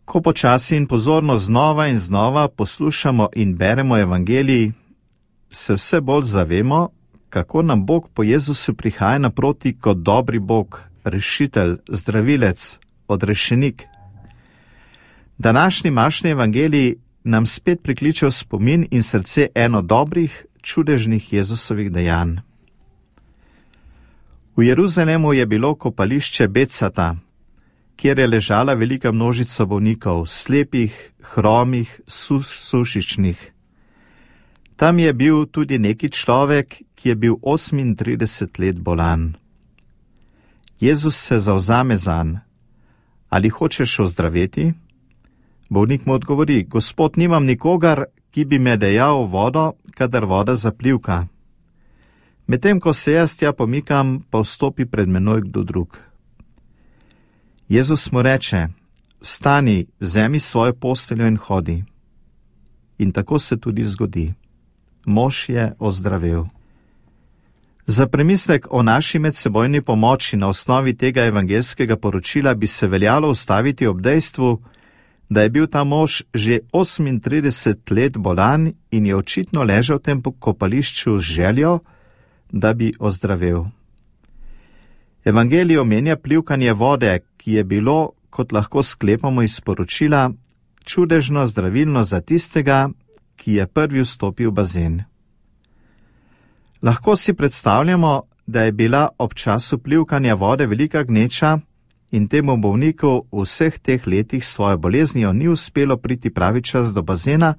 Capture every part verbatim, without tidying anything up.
Ko počasi in pozorno znova in znova poslušamo in beremo evangelij, se vse bolj zavemo, kako nam Bog po Jezusu prihaja naproti kot dobri Bog, rešitelj, zdravilec, odrešenik. Današnji mašni evangelij nam spet prikliče v spomin in srce eno dobrih, čudežnih Jezusovih dejanj. V Jeruzalemu je bilo kopališče Becata, kjer je ležala velika množica bolnikov, slepih, hromih, sušičnih. Tam je bil tudi neki človek, ki je bil osemintrideset let bolan. Jezus se zavzame zanj. Ali hočeš ozdraveti? Bolnik mu odgovori: Gospod, nimam nikogar, ki bi me dejal v vodo, kadar voda zaplivka. Medtem ko se jaz tja pomikam, pa vstopi pred menoj kdo drug. Jezus mu reče: Vstani, vzemi svojo posteljo in hodi. In tako se tudi zgodi. Mož je ozdravel. Za premislek o naši medsebojni pomoči na osnovi tega evangelskega poročila bi se veljalo ustaviti ob dejstvu, da je bil ta mož že osemintrideset let bolan in je očitno ležal v tem kopališču z željo, da bi ozdravel. Evangelij omenja plivkanje vode, ki je bilo, kot lahko sklepamo iz poročila, čudežno zdravilno za tistega, ki je prvi vstopil v bazen. Lahko si predstavljamo, da je bila ob času plivkanja vode velika gneča in temu bolniku v vseh teh letih svojo boleznijo ni uspelo priti pravi čas do bazena,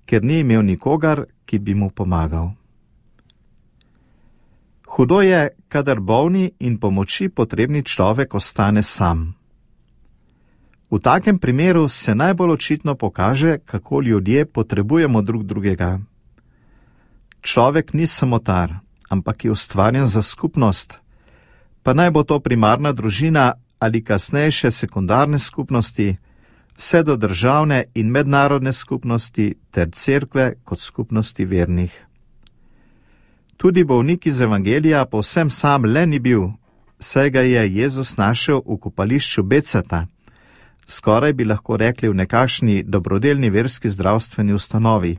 ker ni imel nikogar, ki bi mu pomagal. Hudo je, kadar bolni in pomoči potrebni človek ostane sam. V takem primeru se najbolj očitno pokaže, kako ljudje potrebujemo drug drugega. Človek ni samotar, ampak je ustvarjen za skupnost, pa naj bo to primarna družina ali kasnejše sekundarne skupnosti, vse do državne in mednarodne skupnosti ter cerkve kot skupnosti vernih. Tudi bolnik iz evangelija povsem sam le ni bil, saj ga je Jezus našel v kopališču Becata, skoraj bi lahko rekli v nekakšni dobrodelni verski zdravstveni ustanovi.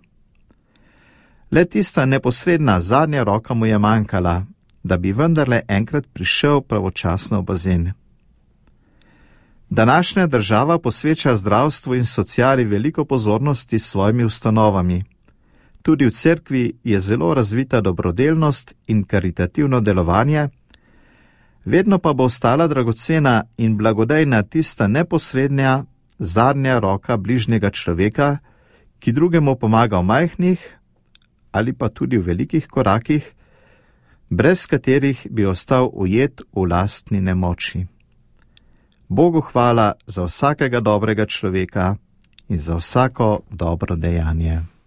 Le tista neposredna zadnja roka mu je manjkala, da bi vendarle enkrat prišel pravočasno v bazen. Današnja država posveča zdravstvu in sociali veliko pozornosti s svojimi ustanovami. Tudi v cerkvi je zelo razvita dobrodelnost in karitativno delovanje, vedno pa bo ostala dragocena in blagodejna tista neposrednja, zadnja roka bližnjega človeka, ki drugemu pomaga v majhnih ali pa tudi v velikih korakih, brez katerih bi ostal ujet v lastni nemoči. Bogu hvala za vsakega dobrega človeka in za vsako dobro dejanje.